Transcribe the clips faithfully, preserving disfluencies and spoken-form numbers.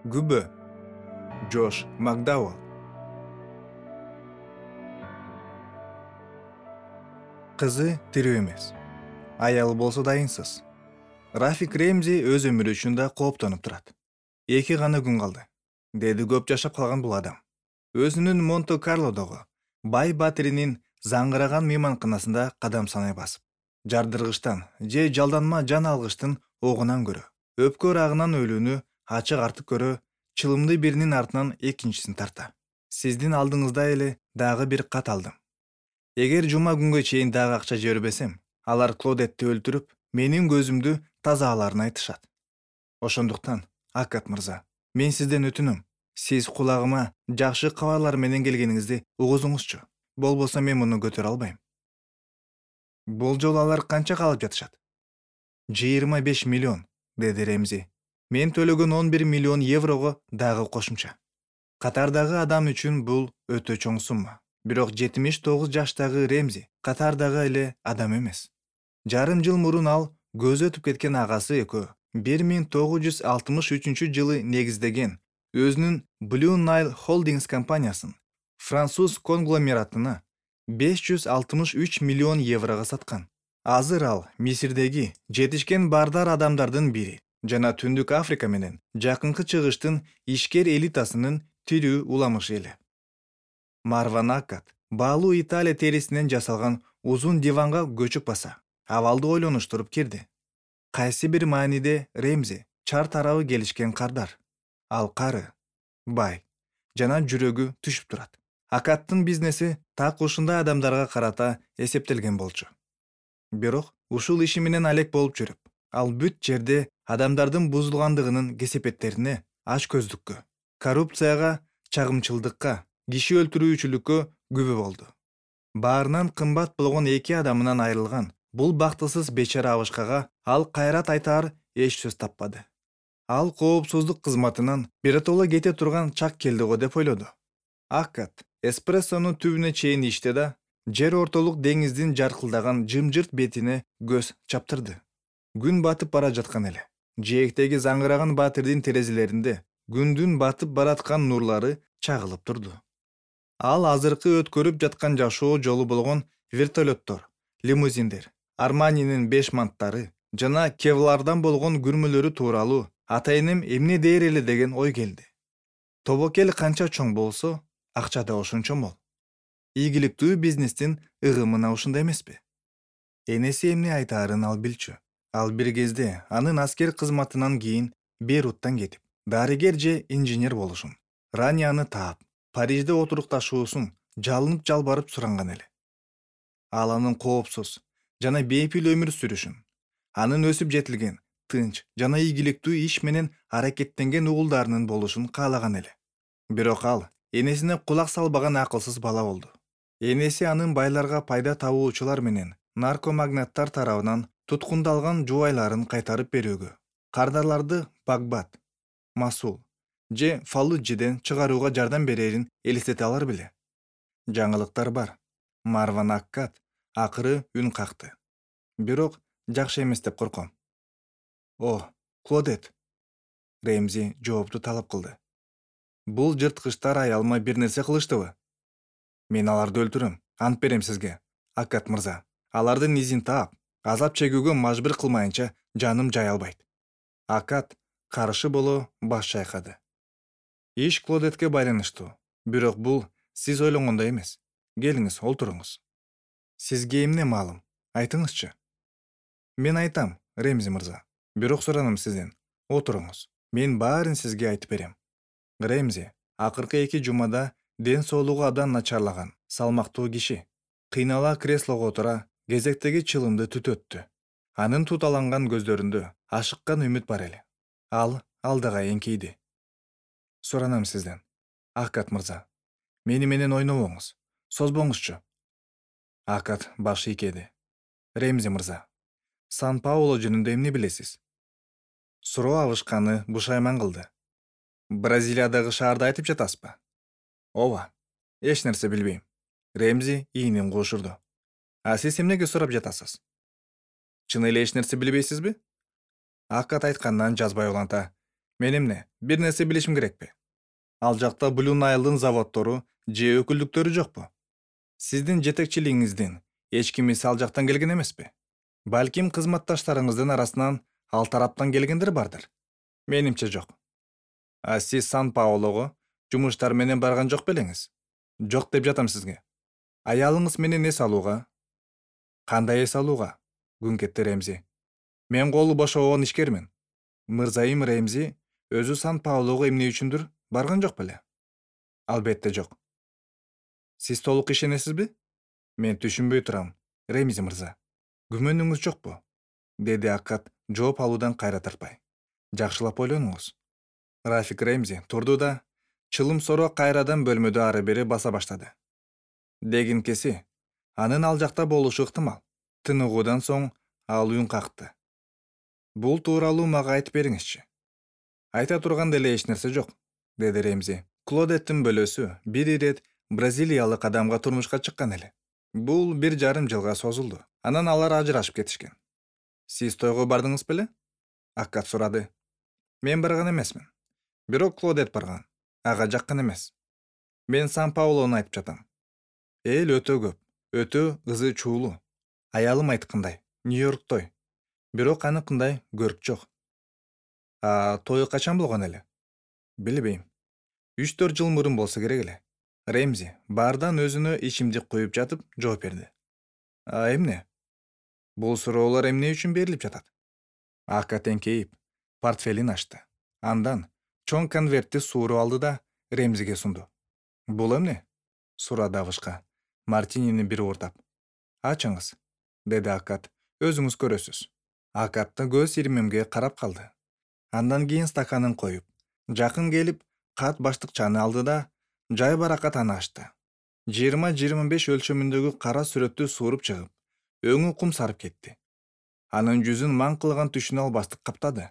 Күбө. Джош Макдауэлл. Кызы тирүү эмес. Аялы болсо дайынсыз. Рафик Ремзи өз өмүрү үчүн да кооптонуп турат. Эки гана күн калды, деди көп жашап калган бул адам. Өзүнүн Монте-Карлодогу бай батиринин заңгыраган мейманканасында кадам санай басып, жардыргычтан же жалданма жан алгычтын огунан көрө, өпкө ырагынан өлүүнү ачык артык көрө, чылымды биринин артынан экинчисин тарта. Сиздин алдыңызда эле дагы бир кат алдым. Эгер жума күнгө чейин дагы акча жибербесем, алар Клодетти өлтүрүп, менин көзүмдү тазалаарын айтышат. Ошондуктан, Аккат мырза, мен сизден өтүнөм. Сиз кулагыма жакшы кабарлар менен келгениңизди угузуңузчу. Болбосо мен муну көтөрө албайм. Бул жолу алар канча калып жатышат? жыйырма беш миллион, деди Ремзи. Мен төлөгөн он бир миллион еврого дагы кошумча. Катардагы адам үчүн бул өтө чоң сумма. Бирок жетимиш тогуз жаштагы Ремзи катардагы эле адам эмес. Жарым жыл мурун ал көзү өтүп кеткен агасы экөө бир миң тогуз жүз алтымыш үчүнчү жылы негиздеген өзүнүн Blue Nile Holdings компаниясын француз конгломератына беш жүз алтымыш үч миллион еврого саткан. Азыр ал Мисирдеги жетишкен бардар адамдардын бири жана Түндүк Африка менен Жакынкы Чыгыштын ишкер элитасынын тирүү уламышы эле. Марван Аккат баалуу Италия терисинен жасалган узун диванга көчүп баса, абалды ойлонуштуруп кирди. Кайсы бир мааниде Ремзи чар тарабы келишкен кардар. Ал кары, бай жана жүрөгү түшүп турат. Аккаттын бизнеси так ушундай адамдарга карата эсептелген болчу. Бирок ушул иши менен алек болуп жүрүп, ал бүт жерде адамдардын бузулгандыгынын кесепеттерине, ач көздүккө, коррупцияга, чагымчылдыкка, киши өлтүрүүчүлүккө күбө болду. Баарынан кымбат болгон эки адамынан айрылган бул бактысыз бечара абышкага ал кайрат айтаар эч сөз таппады. Ал коопсуздук кызматынан биротоло кете турган чак келди го деп ойлоду. Аккат эспрессонун түбүнө чейин ичти да жер ортолук деңиздин жаркылдаган жымжырт бетине көз чаптырды. Күн батып бара жаткан эле. Жээктеги заңгыраган батирдин терезелеринде күндүн батып бараткан нурлары чагылып турду. Ал азыркы өткөрүп жаткан жашоо жолу болгон вертолеттор, лимузиндер, Арманинин беш манттары жана Кевлардан болгон күрмөлөрү тууралуу атайыным эмне дээр эле деген ой келди. Тобокел канча чоң болсо, акча да ошончо мол. Ийгиликтүү бизнестин ыгымына ушундай эмеспи? Энеси эмне айтаарын ал билчү. Ал бир кезде анын аскер кызматынан кийин Бейруттан кетип, дарыгер же инженер болушун, Ранияны таап, Парижде отурукташуусун жалынып жалбарып суранган эле. Ал анын коопсуз жана бейпил өмүр сүрүшүн, анын өсүп жетилген, тынч жана ийгиликтүү иш менен аракеттенген угулдарынын болушун каалаган эле. Бирок ал энесине кулак салбаган акылсыз бала болду. Энеси анын байларга пайда табуучулар менен наркомагнаттар тарабынан туткундалган жубайларын кайтарып берүүгө, кардарларды Багбат, Масул же Фаллуджиден чыгарууга жардам берерин элестете алар беле? Жаңылыктар бар. Марван Аккат акыры үн какты. Бирок жакшы эмес деп корком. О, Клодет. Ремзи жоопту талап кылды. Бул жырткычтар аялыма бир нерсе кылыштыбы? Мен аларды өлтүрөм, ант берем сизге, Аккат мырза. Алардын изин таап, азап чегүүгө мажбур кылмайынча жаным жай албайт. Аккат каршы боло баш чайкады. Иш Клодетке байланыштуу, бирок бул сиз ойлогондой эмес. Келиңиз, олтуруңуз. Сизге эмне маалым? Айтыңызчы. Мен айтам, Ремзи мырза. Бирок суранам сизден. Отуруңуз. Мен баарын сизге айтып берем. Ремзи акыркы эки жумада ден соолугу абдан начарлаган, салмактуу киши. Кыйнала креслого отура, кезектеги чылымды түтөттү. Анын туталанган көздөрүндө ашыккан үмүт бар эле. Ал алдыга эңкейди. Суранам сизден, Аккат мырза. Мени менен ойнобоңуз. Созбоңузчу. Аккат баш ийкеди. Ремзи мырза, Сан-Пауло жөнүндө эмне билесиз? Суроо абышканы бушайман кылды. Бразилиядагы шаарды айтып жатасызбы? Ооба. Эч нерсе билбейм. Ремзи ийинин куушурду. А сиз эмнеге сурап жатасыз? Чын эле эч нерсе билбейсизби? Аккат айткандан жазбай уланта. Мен эмне, бир нерсе билишим керекпи? Ал жакта Blue Nile'дын заводдору же өкүлдүктөрү жокпу? Сиздин жетекчилигиңиздин эч кими ал жактан келген эмеспи? Балким кызматташтарыңыздын арасынан ал тараптан келгендер бардыр. Менимче жок. А сиз Сан-Паулого жумуштар менен барган жок белеңиз? Жок деп жатам сизге. Аялыңыз менен эс алууга? Кандай эс алууга? Күңкетти Ремзи. Мен колу бошобогон ишкермин. Мырзайым Ремзи өзү Сан-Паулого эмне үчүндүр барган жок беле? Албетте жок. Сиз толук ишенесизби? Мен түшүнбөй турам, Ремзи мырза. Күмөнүңүз жокпу? Деди Акат жооп алуудан кайра тартпай. Жакшылап ойлонуңуз. Рафик Ремзи турду да, чылым соро кайрадан бөлмөдө ары бери баса баштады. Дегинкеси, анын ал жакта болушу ыктымал. Тыныгуудан соң ал үн какты. Бул тууралуу мага айтып бериңизчи. Айта турган деле эч нерсе жок, деди Ремзи. Клодеттин бөлөсү бир ирет бразилиялык адамга турмушка чыккан эле. Бул бир жарым жылга созулду. Анан алар ажырашып кетишкен. Сиз тойго бардыңыз беле? Аккат сурады. Мен барган эмесмин. Бирок Клодет барган. Ага жаккан эмес. Мен Сан-Паулону айтып жатам. Эл өтө көп, өтө ызы чуулуу. Аялым айткандай, Нью-Йорк той. Бирок аныкындай көрк жок. А той качан болгон эле? Билбейм. үч төрт жыл мурун болсо керек эле. Ремзи баардан өзүнө ичимдик куюп жатып жооп берди. А эмне? Бул суроолор эмне үчүн берилип жатат? Акат эңкейип, портфелин ачты. Андан чоң конвертти сууруп алды да Ремзиге сунду. Бул эмне? Сурады абышка, мартинини бир уурдап. Ачыңыз, деди Акат. Өзүңүз көрөсүз. Акатты көз ирмемге карап калды. Андан кийин стаканын коюп, жакын келип, кат баштыкчаны алды да жай баракат аны ачты. жыйырма жыйырма беш өлчөмүндөгү кара сүрөттү сууруп чыгып, өңү кум сарып кетти. Анын жүзүн маң кылган түшүнө албастык каптады.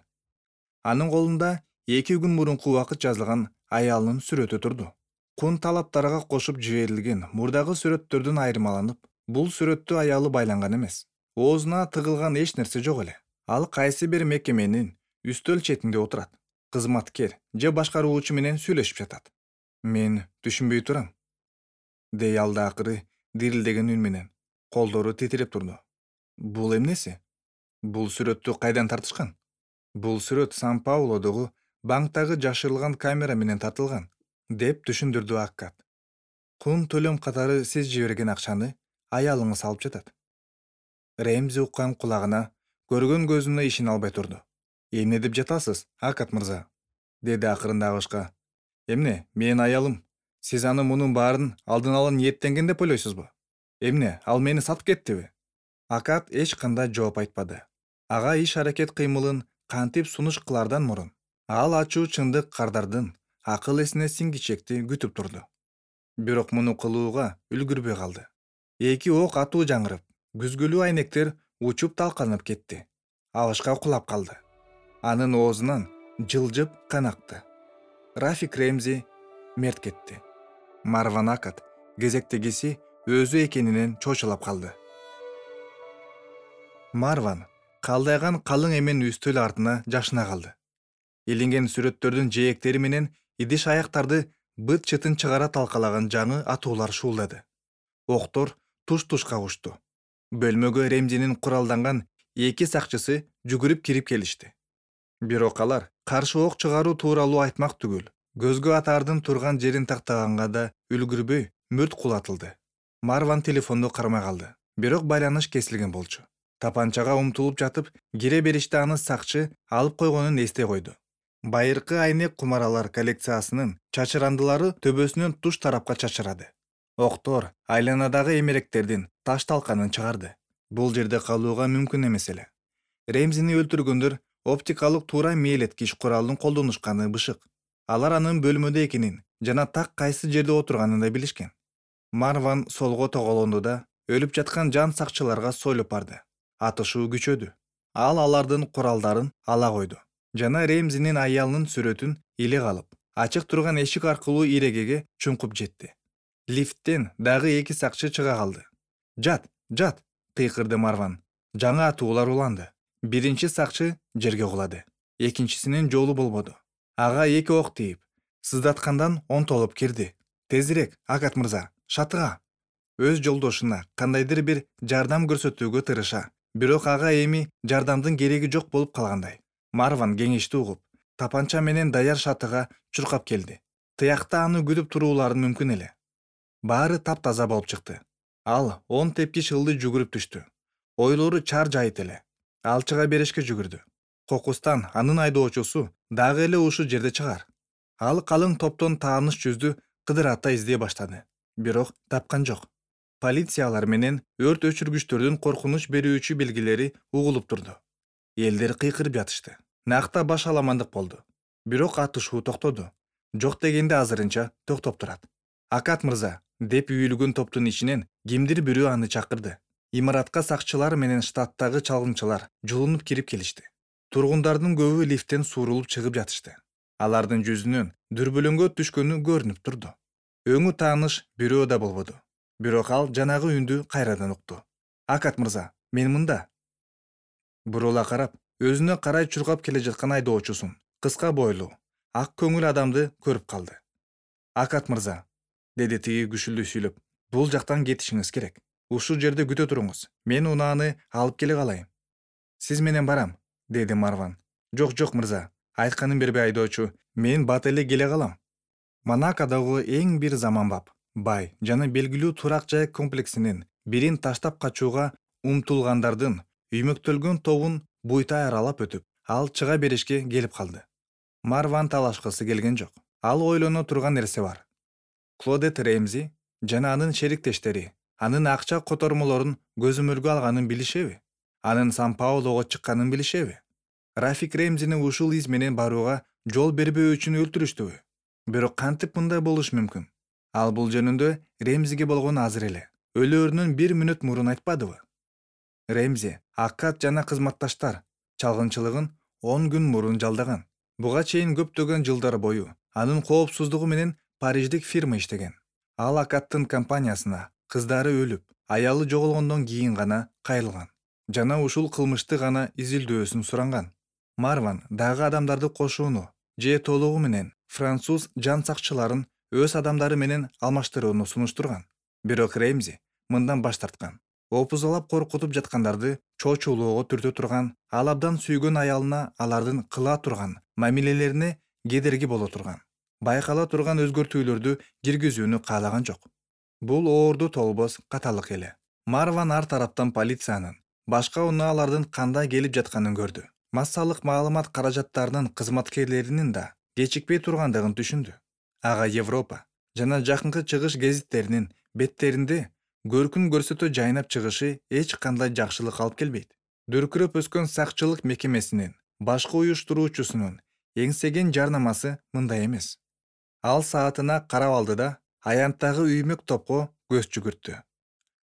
Анын колунда эки күн мурунку убакыт жазылган аялынын сүрөтү турду. Кун талаптарга кошуп жиберилген мурдагы сүрөттөрдөн айырмаланып, бул сүрөттө аялы байланган эмес. Оозуна тыгылган эч нерсе жок эле. Ал кайсы бир мекеменин үстөл четинде отурат. Кызматкер же башкаруучу менен сүйлөшүп жатат. Мен түшүнбөй турам, дей алды акыры дирилдеген үн менен. Колдору титиреп турду. Бул эмнеси? Бул сүрөттү кайдан тартышкан? Бул сүрөт Сан-Паулодогу банктагы жашырылган камера менен тартылган, деп түшүндүрдү Аккат. Кун төлөм катары сиз жиберген акчаны аялыңыз алып жатат. Ремзи уккан кулагына, көргөн көзүнө ишене албай турду. Эмне деп жатасыз, Акат мырза? Деди акырында абышка. Эмне, менин аялым? Сиз аны мунун баарын алдын ала ниеттенген деп ойлойсузбу? Эмне, ал мени сатып кеттиби? Акат эч кандай жооп айтпады. Ага иш аракет кыймылын кантип сунуш кылардан мурун ал ачуу чындык кардардын акыл эсине сиңгичекти күтүп турду. Бирок муну кылууга үлгүрбөй калды. Эки ок атуу жаңырып, күзгүлүү айнектер учуп талканып кетти. Абышка кулап калды. Анын оозунан жылжып кан акты. Рафик Ремзи мерт кетти. Марван Акат кезектегиси өзү экенинен чочулап калды. Марван калдайган калың эмен үстөл артына жашына калды. Илинген сүрөттөрдүн жээктери менен идиш аяктарды быт-чытын чыгара талкалаган жаңы атуулар шуулдады. Октор туш-тушка учту. Бөлмөгө Ремзинин куралданган эки сакчысы жүгүрүп кирип келишти. Бирок алар каршы ок чыгаруу тууралуу айтмак түгүл, көзгө атаардын турган жерин тактаганга да үлгүрбөй мүрт кулатылды. Марван телефонду кармай калды. Бирок байланыш кесилген болчу. Тапанчага умтулуп жатып, кире бериште аны сакчы алып койгонун эстей койду. Байыркы айнек кумаралар коллекциясынын чачырандылары төбөсүнөн туш тарапка чачырады. Октор айланадагы эмеректердин таш талканын чыгарды. Бул жерде калууга мүмкүн эмес эле. Ремзини өлтүргөндөр оптикалык туура мээлеткич куралын колдонушканы бышык. Алар анын бөлмөдө экенин жана так кайсы жерде отурганын да билишкен. Марван солго тоголонду да өлүп жаткан жан сакчыларга сойлоп барды. Атышуу күчөдү. Ал алардын куралдарын ала койду. Жана Ремзинин аялынын сүрөтүн иле калып, ачык турган эшик аркылуу ирегеге чуңкуп жетти. Лифттен дагы эки сакчы чыга калды. Жат, жат, кыйкырды Марван. Жаңы атуулар уланды. Биринчи сакчы жерге кулады. Экинчисинин жолу болбоду. Ага эки ок тийип, сыздаткандан онтолуп кирди. Тезирээк, Акат мырза, шатыга. Өз жолдошуна кандайдыр бир жардам көрсөтүүгө тырыша, бирок ага эми жардамдын кереги жок болуп калгандай. Марван кеңешти угуп, тапанча менен даяр шатыга чуркап келди. Тыякта аны күтүп туруулары мүмкүн эле. Баары таптаза болуп чыкты. Ал он тепкич ылды жүгүрүп түштү. Ойлору чар жайыт эле. Ал чыга беришке жүгүрдү. Кокустан анын айдоочусу дагы эле ушул жерде чыгар. Ал калың топтон тааныш жүздү кыдырата издей баштады. Бирок тапкан жок. Полициялар менен өрт өчүргүчтөрдүн коркунуч берүүчү белгилери угулуп турду. Элдер кыйкырып жатышты. Накта баш аламандык болду. Бирок атышуу токтоду. Жок дегенде азырынча токтоп турат. Акат мырза, деп үйүлгөн топтун ичинен кимдир бирөө аны чакырды. Имаратка сакчылар менен штаттагы чалгынчылар жулунуп кирип келишти. Тургундардын көбү лифттен суурулуп чыгып жатышты. Алардын жүзүнөн дүрбөлөңгө түшкөнү көрүнүп турду. Өңү тааныш бирөө да болбоду. Бирок ал жанагы үндү кайрадан укту. Акат мырза, мен мында. Бурула карап, өзүнө карай чуркап келе жаткан айдоочусун, кыска бойлуу, ак көңүл адамды көрүп калды. Акат мырза, деди тиги күшүлдүү сүйлөп, бул жактан кетишиңиз керек. Ушул жерде күтө туруңуз. Мен унааны алып келе калайын. Сиз менен барам, деди Марван. Жок, жок мырза, айтканын бербей айдоочу, мен бат эле келе калам. Монакодогу эң бир заманбап, бай жана белгилүү турак жай комплексинин бирин таштап качууга умтулгандардын үймөктөлгөн тобун буйтай аралап өтүп, ал чыга беришке келип калды. Марван талашкысы келген жок. Ал ойлоно турган нерсе бар. Клодет Ремзи жана анын шериктештери анын акча котормолорун көзөмөлгө алганын билишеби? Анын Сан-Паулого чыкканын билишеби? Рафик Ремзини ушул из менен барууга жол бербөө үчүн өлтүрүштүбү? Бирок кантип мындай болуш мүмкүн? Ал бул жөнүндө Ремзиге болгон азыр эле өлөөрүнөн бир мүнөт мурун айтпадыбы? Ремзи Акат жана кызматташтар чалгынчылыгын он күн мурун жалдаган. Буга чейин көптөгөн жылдар бою анын коопсуздугу менен париждик фирма иштеген. Ал Акаттын компаниясына кыздары өлүп, аялы жоголгондон кийин гана кайрылган жана ушул кылмышты гана изилдөөсүн суранган. Марван дагы адамдарды кошууну же толугу менен француз жан сакчыларын өз адамдары менен алмаштырууну сунуштурган. Бирок Ремзи мындан баш тарткан. Опузалап коркутуп жаткандарды чочулоого түртө турган, ал абдан сүйгөн аялына алардын кыла турган мамилелерине кедерги боло турган, байкала турган өзгөртүүлөрдү киргизүүнү каалаган жок. Бул оорду толбос каталык эле. Марван ар тараптан полициянын башка унаалардын кандай келип жатканын көрдү. Массалык маалымат каражаттарынын кызматкерлеринин да кечикпей тургандыгын түшүндү. Ага Европа жана жакынкы чыгыш гезиттеринин беттеринде көркүн көрсөтө жайнап чыгышы эч кандай жакшылык алып келбейт. Дүркүрөп өскөн сакчылык мекемесинин башкы уюштуруучусунун эңсеген жарнамасы мындай эмес. Ал саатына карап алды да аянттагы үймөк топко көз жүгүрттү.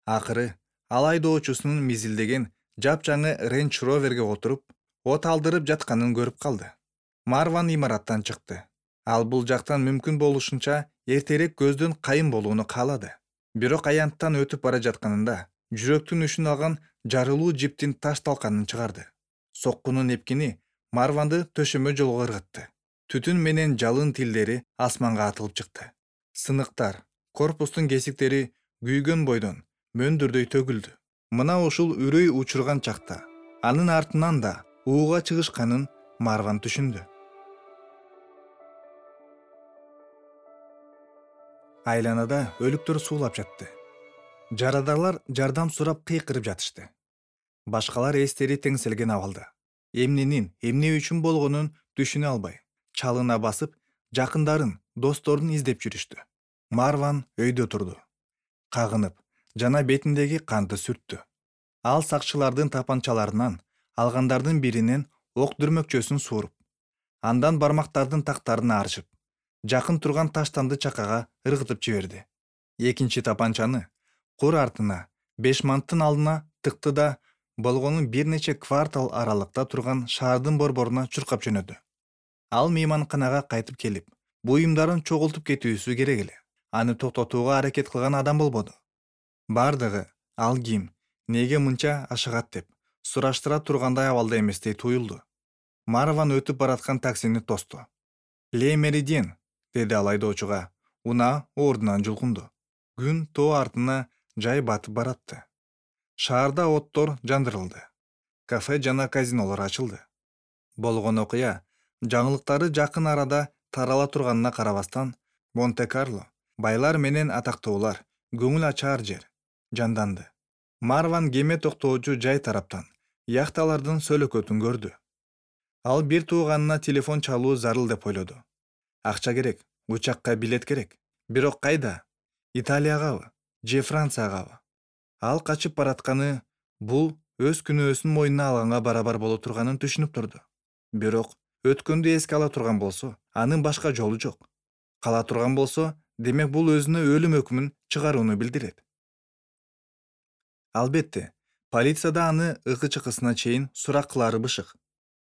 Акыры ал айдоочусунун мизилдеген жапжаңы Range Rover'ге отуруп, от алдырып жатканын көрүп калды. Марван имараттан чыкты. Ал бул жактан мүмкүн болушунча эртерээк көздөн кайын болууну каалады. Бирок аянттан өтүп бара жатканында жүрөктүн үшүн алган жарылуу жиптин таш талканын чыгарды. Соккунун эпкини Марванды төшөмө жолго ыргытты. Түтүн менен жалын тилдери асманга атылып чыкты. Сыныктар, корпустун кесиктери күйгөн бойдон мөндүрдөй төгүлдү. Мына ушул үрөй учурган чакта анын артынан да ууга чыгышканын Марван түшүндү. Айланада өлүктөр суулап жатты. Жарадарлар жардам сурап кыйкырып жатышты. Башкалар эстери теңселген абалда. Эмненин, эмне үчүн болгонун түшүнө албай, чалына басып, жакындарын, досторун издеп жүрүштү. Марван өйдө турду. Кагынып, жана бетиндеги канды сүрттү. Ал сакчылардын тапанчаларынан алгандардын биринен ок дүрмөкчөсүн сууруп, андан бармактардын тактарын арчып, жакын турган таштанды чакага ыргытып жиберди. Экинчи тапанчаны кур артына, Бешманттын алдына тыкты да болгонун бир нече квартал аралыкта турган шаардын борборуна чуркап жөнөдү. Ал мейманканага кайтып келип, буюмдарын чогултуп кетүүсү керек эле. Аны токтотууга аракет кылган адам болбоду. Бардыгы ал ким, неге мынча ашыгат деп сураштыра тургандай абалда эместей туюлду. Марван өтүп бараткан таксини тосту. Ле Меридиен, деди ал айдоочуга. Унаа ордунан жулкунду. Күн тоо артына жай батып баратты. Шаарда оттор жандырылды. Кафе жана казинолор ачылды. Болгон окуя жаңылыктары жакын арада тарала турганына карабастан, Монте-Карло, байлар менен атактуулар, көңүл ачаар жер жанданды. Марван кеме токтоочу жай тараптан яхталардын сөлөкөтүн көрдү. Ал бир тууганына телефон чалуу зарыл деп ойлоду. Акча керек, учакка билет керек. Бирок кайда? Италиягабы же Франциягабы? Ал качып баратканы бул өз күнөөсүн мойнуна алганга барабар боло турганын түшүнүп турду. Бирок өткөндү эске ала турган болсо, анын башка жолу жок. Кала турган болсо, демек бул өзүнө өлүм өкүмүн чыгарууну билдирет. Албетте, полицияда аны ыкы-чыкысына чейин сурак кылары бышык.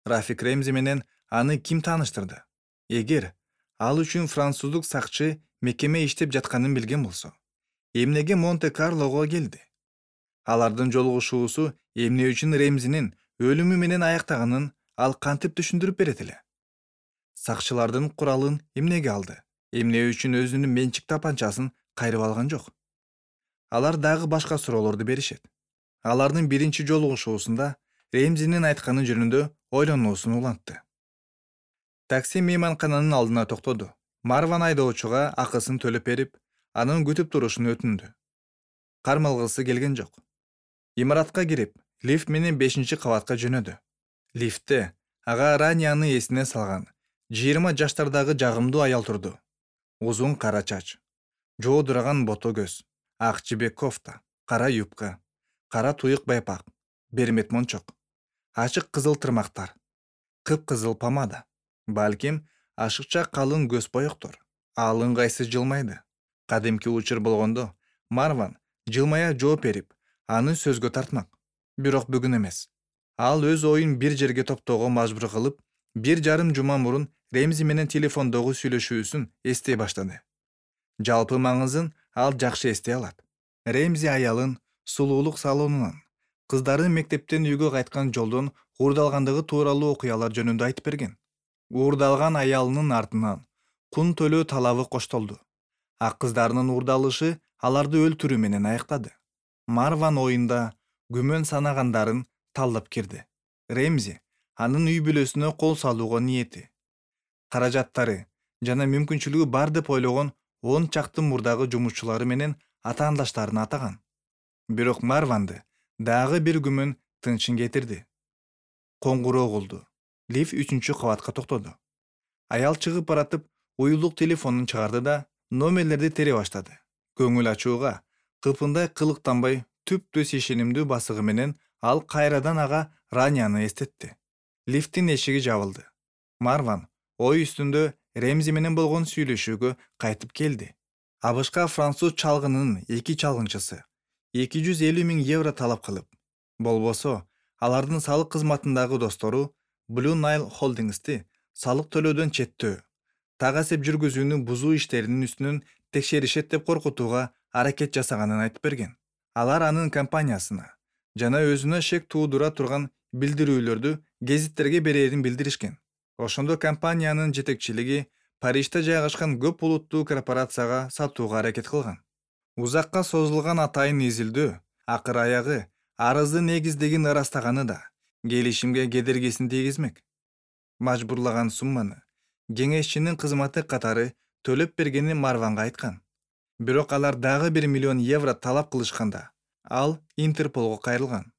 Рафик Ремзи менен аны ким тааныштырды? Эгер ал үчүн француздук сакчы мекеме иштеп жатканын билген болсо, эмнеге Монте-Карлого келди? Алардын жолугушуусу эмне үчүн Ремзинин өлүмү менен аяктаганын ал кантип түшүндүрүп берет эле? Сакчылардын куралын эмнеге алды? Эмне үчүн өзүнүн менчик тапанчасын кайрып алган жок? Алар дагы башка суроолорду беришет. Алардын биринчи жолугушуусунда Ремзинин айтканы жөнүндө ойлонуусун улантты. Такси мейманкананын алдына токтоду. Марван айдоочуга акысын төлөп берип, анын күтүп турушун өтүндү. Кармалгысы келген жок. Имаратка кирип, лифт менен бешинчи кабатка жөнөдү. Лифтте ага Ранияны эсине салган жыйырма жаштардагы жагымдуу аял турду. Узун кара чач, жоодураган бото көз, ак жибек кофта, кара юбка, кара туюк байпак, бермет мончок, ачык кызыл тырмактар, кып-кызыл помада, балким ашыкча калың көз боектор. Ал ыңгайсыз жылмайды. Кадимки учур болгондо Марван жылмая жооп берип, аны сөзгө тартмак. Бирок бүгүн эмес. Ал өз оюн бир жерге топтоого мажбур кылып, бир жарым жума мурун Ремзи менен телефондогу сүйлөшүүсүн эстей баштады. Жалпы маңызын ал жакшы эстей алат. Ремзи аялын сулуулук салонунан, кыздары мектептен үйгө кайткан жолдон уурдалгандыгы тууралуу окуялар жөнүндө айтып берген. Уурдалган аялынын артынан кун төлөө талабы коштолду. Ак кыздарынын уурдалышы аларды өлтүрүү менен аяктады. Марван оюнда күмөн санагандарын талдап кирди. Ремзи анын үй бүлөсүнө кол салууга ниети, каражаттары жана мүмкүнчүлүгү бар деп ойлогон он чакты мурдагы жумушчулары менен атаандаштарын атаган. Бирок Марванды дагы бир күмөн тынчын кетирди. Коңгуроо болду. Лифт үчүнчү кабатка токтоду. Аял чыгып баратып, уюлдук телефонун чыгарды да номерлерди тере баштады. Көңүл ачууга, кыпындай кылыктанбай, түп-түз ишенимдүү басыгы менен ал кайрадан ага Ранияны эстетти. Лифттин эшиги жабылды. Марван ой үстүндө Ремзи менен болгон сүйлөшүүгө кайтып келди. Абышка француз чалгынынын эки чалгынчысы эки жүз элүү миң евро талап кылып, болбосо алардын салык кызматындагы достору Blue Nile Holdings'ти салык төлөөдөн четтөө, так эсеп жүргүзүүнү бузуу иштеринин үстүнөн текшеришет деп коркутууга аракет жасаганын айтып берген. Алар анын компаниясына жана өзүнө шек туудура турган билдирүүлөрдү гезиттерге берерин билдиришкен. Ошондо компаниянын жетекчилиги Парижде жайгашкан көп булуттуу корпорацияга сатууга аракет кылган. Узакка созулган атайын изилдөө акыр аягы арыздын негиздигин ырастаганы да келишимге кедергисин тийгизмек. Мажбурлаган сумманы кеңешчинин кызматы катары төлөп бергенин Марванга айткан. Бирок алар дагы бир миллион евро талап кылышканда, ал Интерполго кайрылган.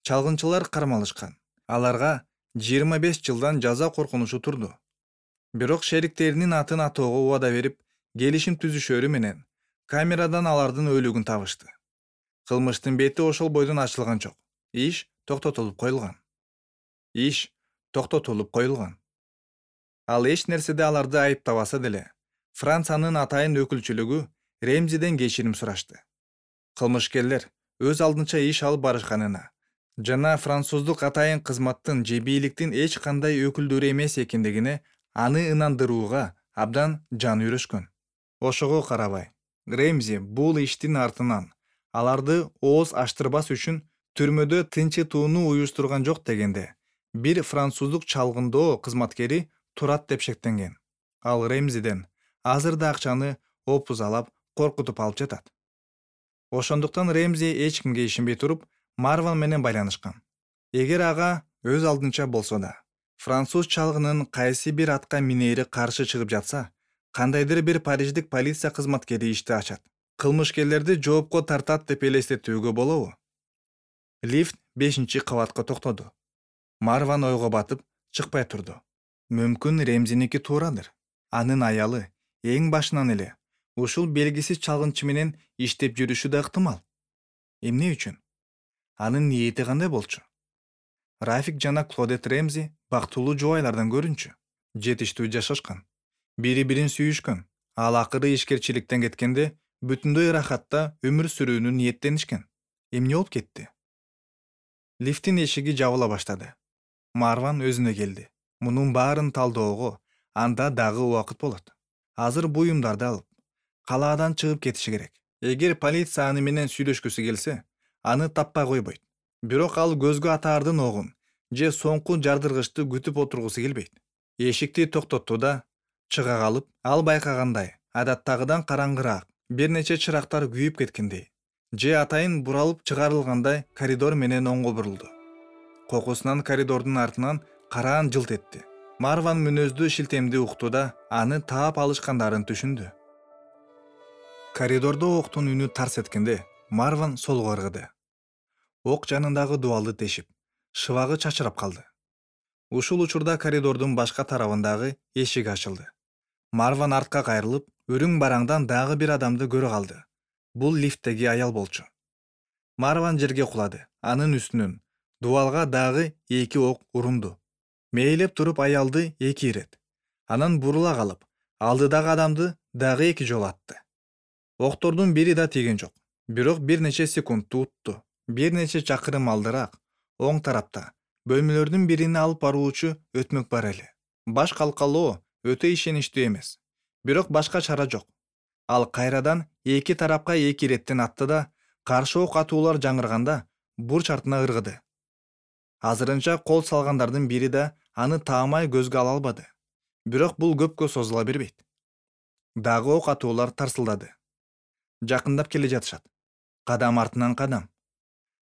Чалгынчылар кармалышкан. Аларга жыйырма беш жылдан жаза коркунучу турду. Бирок шериктеринин атын атоого убада берип, келишим түзүшөрү менен камерадан алардын өлүгүн табышты. Кылмыштын бети ошол бойдон ачылган жок. Иш токтотулуп коюлган. Иш токтотулуп коюлган. Ал эч нерседе аларды айыптабаса деле, Франциянын атайын өкүлчүлүгү Ремзиден кечирим сурашты. Кылмышкерлер өз алдынча иш алып барышканына жана француздук атайын кызматтын же бийликтин эч кандай өкүлдөрү эмес экендигине аны ынандырууга абдан жан үйрөшкөн. Ошого карабай, Ремзи бул иштин артынан аларды ооз ачтырбас үчүн түрмөдө тынчытууну уюштурган жок дегенде, бир француздук чалгындоо кызматкери турат деп шектенген. ал Ремзиден азыр да акчаны опузалап коркутуп алып жатат. Ошондуктан Ремзи эч кимге ишенбей туруп Марван менен байланышкан. Эгер ага өз алдынча болсо да француз чалгынын кайсы бир атка минери каршы чыгып жатса, кандайдыр бир париждик полиция кызматкери ишти ачат, кылмышкерлерди жоопко тартат деп элестетүүгө болобу? Лифт бешинчи кабатка токтоду. Марван ойго батып чыкпай турду. Мүмкүн Ремзиники туурадыр. Анын аялы эң башынан эле ушул белгисиз чалгынчы менен иштеп жүрүшү да ыктымал. Эмне үчүн? Анын ниети кандай болчу? Рафик жана Клодет Ремзи бактылуу жубайлардан көрүнчү. Жетиштүү жашашкан. Бири-бирин сүйүшкөн. Ал акыры ишкерчиликтен кеткенде бүтүндөй ырахатта өмүр сүрүүнү ниеттенишкен. Эмне болуп кетти? Лифтин эшиги жабыла баштады. Марван өзүнө келди. Мунун баарын талдөөгө анда дагы убакыт болот. Азыр буюмдарды алып, калаадан чыгып кетиши керек. Эгер полиция аны менен сүйлөшкүсү келсе, аны таппай койбойт. Бирок ал көзгө атаардын огун же соңку жардыргычты күтүп отургусу келбейт. Эшикти токтотту да чыга калып, ал байкагандай, адаттагыдан караңгыраак, бир нече чырактар күйүп кеткендей, же атайын буралып чыгарылгандай коридор менен оңго бурулду. Кокусунан коридордун артынан караан жылт этти. Марван мүнөздүү шилтемди укту да аны таап алышкандарын түшүндү. Коридордо октун үнү тарс эткенде Марван солго ыргыды. Ок жанындагы дубалды тешип, шыбагы чачырап калды. Ушул учурда коридордун башка тарабындагы эшик ачылды. Марван артка кайрылып, өрүң бараңдан дагы бир адамды көрө калды. Бул лифттеги аял болчу. Марван жерге кулады. Анын үстүнөн дубалга дагы эки ок урунду. Мейлеп туруп аялды эки ирет. Анан бурула калып, алдыдагы адамды дагы эки жолу атты. Октордун бири да тийген жок. Бирок бир нече секундту утту. Бир нече чакырым алдыраак, оң тарапта бөлмөлөрдүн бирине алып баруучу өтмөк бар эле. Баш калкалоо өтө ишеничтүү эмес. Бирок башка чара жок. Ал кайрадан эки тарапка эки иреттен атты да, каршы ок атуулар жаңырганда бурч артына ыргыды. Азырынча кол салгандардын бири да аны таамай көзгө ала албады. Бирок бул көпкө созула бербейт. Дагы ок атуулар тарсылдады. Жакындап келе жатышат. Кадам артынан кадам.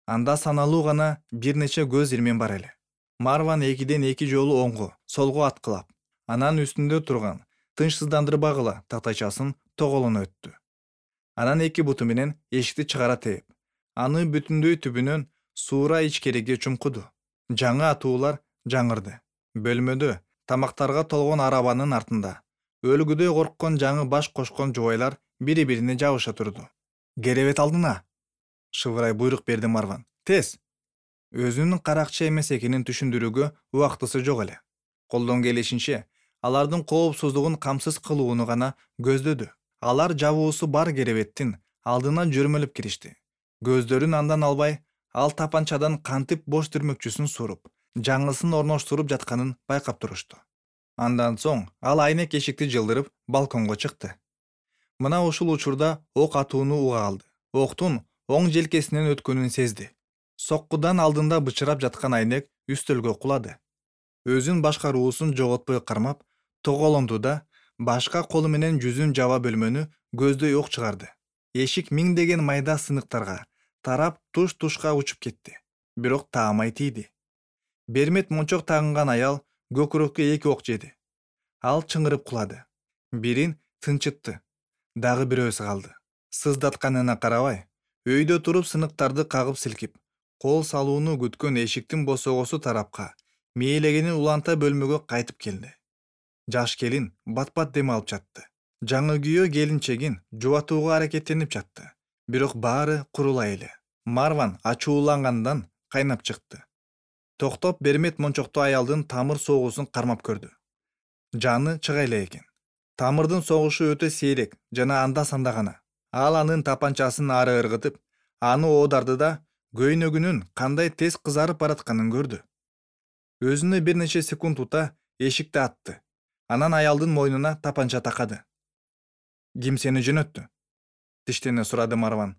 Анда саналуу гана бир нече көз ирмен бар эле. Марван экиден эки жолу оңго, солго аткылап, анан үстүндө турган тынчсыздандырбагыла тактайчасын тоголоно өттү. Анан эки буту менен эшикти чыгара тээп, аны бүтүндөй түбүнөн суура ичкериге чумкуду. Жаңы атуулар жаңырды. Бөлмөдө тамактарга толгон арабанын артында өлгүдөй корккон жаңы баш кошкон жубайлар бири-бирине жабыша турду. Керебет алдына! Шыбырай буйрук берди Марван. Тез! Өзүнүн каракчы эмес экенин түшүндүрүүгө убактысы жок эле. Колдон келишинче алардын коопсуздугун камсыз кылууну гана көздөдү. Алар жабуусу бар керебеттин алдына жөрмөлөп киришти. Көздөрүн андан албай, ал тапанчадан кантип бош түрмөкчүсүн суруп, жаңысын орноштуруп жатканын байкап турушту. Андан соң ал айнек эшикти жылдырып балконго чыкты. Мына ушул учурда ок атууну уга алды. Октун оң желкесинен өткөнүн сезди. Соккудан алдында бычырап жаткан айнек үстөлгө кулады. Өзүн башкаруусун жоготпой кармап, тоголонду да башка колу менен жүзүн жаба бөлмөнү көздөй ок чыгарды. Эшик миңдеген майда сыныктарга тарап туш-тушка учуп кетти. Бирок таамай тийди. Бермет мончок тагынган аял көкүрөккө эки ок жеди. Ал чыңырып кулады. Бирин тынчытты. Дагы бирөөсү калды. Сыздатканына карабай, өйдө туруп сыныктарды кагып силкип, кол салууну күткөн эшиктин босогосу тарапка мээлегенин уланта бөлмөгө кайтып келди. Жаш келин бат-бат дем алып жатты. Жаңы күйөө келинчегин жубатууга аракеттенип жатты. Бирок баары курулай эле. Марван ачуулангандан кайнап чыкты. Токтоп бермет мончокту аялдын тамыр согуусун кармап көрдү. Жаны чыга эле экен. Тамырдын согушу өтө сейрек жана анда-санда гана. Ал анын тапанчасын ары ыргытып, аны оодарды да көйнөгүнүн кандай тез кызарып баратканын көрдү. Өзүнө бир нече секунд ута эшикти атты. Анан аялдын мойнуна тапанча такады. Ким сени жөнөттү? Тиштене сурады Марван.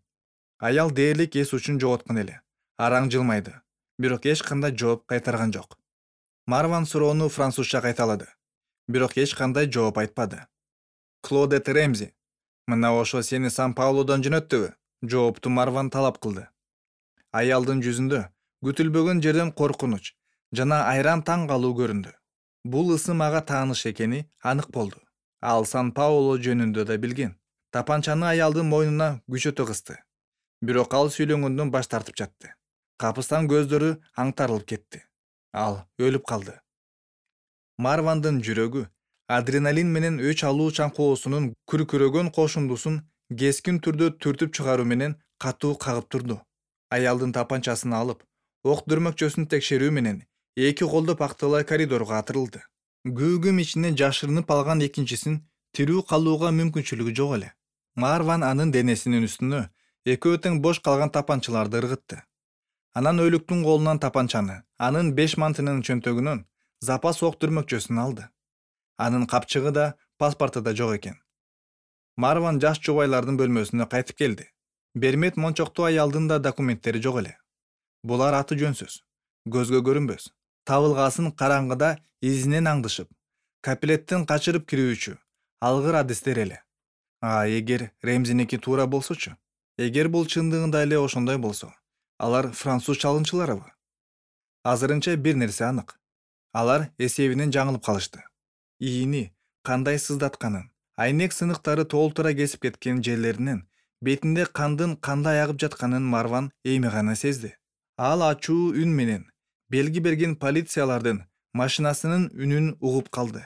Аял дээрлик эс учун жоготкон эле. Араң жылмайды. Бирок эч кандай жооп кайтарган жок. Марван суроону французча кайталады. бирок эч кандай жооп айтпады. Клодет Ремзи: «Мына ошо сени Сан-Паулодон жөнөттүбү?» жоопту Марван талап кылды. Аялдын жүзүндө күтүлбөгөн жерден коркунуч жана айран таң калуу көрүндү. Бул ысым ага тааныш экени анык болду. Ал Сан-Пауло жөнүндө да билген. Тапанчаны аялдын мойнуна күчөтө кысты. Бирок ал сүйлөгөндөн баш тартып жатты. Капыстан көздөрү аңтарылып кетти. Ал өлүп калды. Марвандын жүрөгү адреналин менен өч алуу чаңкоосунун күркүрөгөн кошундусун кескин түрдө түртүп чыгаруу менен катуу кагып турду. Аялдын тапанчасын алып, ок дүрмөкчөсүн текшерүү менен эки колдо пакталай коридорго атырылды. Күүгүм ичине жашырынып алган экинчисин тирүү калууга мүмкүнчүлүгү жок эле. Марван анын денесинин үстүнө экөө тең бош калган тапанчаларды ыргытты. Анан өлүктүн колунан тапанчаны, анын беш мантынын чөнтөгүнөн запас ок дүрмөкчөсүн алды. Анын капчыгы да, паспорту да жок экен. Марван жаш жубайлардын бөлмөсүнө кайтып келди. Бермет мончоктуу аялдын да документтери жок эле. Булар аты жөнсүз, көзгө көрүнбөс. Табылгасын караңгыда изинен аңдышып, капилеттен качырып кирүүчү алгыр адистер эле. А эгер Ремзиники туура болсочу? Эгер бул чындыгында эле ошондой болсо, алар француз чалгынчыларыбы? Азырынча бир нерсе анык. Алар эсебинен жаңылып калышты. ИИни кандай сыздатканын, айнек сыныктары толтура кесип кеткен жерлеринен бетинде кандын кандай агып жатканын Марван эми гана сезди. Ал ачуу үн менен белги берген полициялардын машинасынын үнүн угуп калды.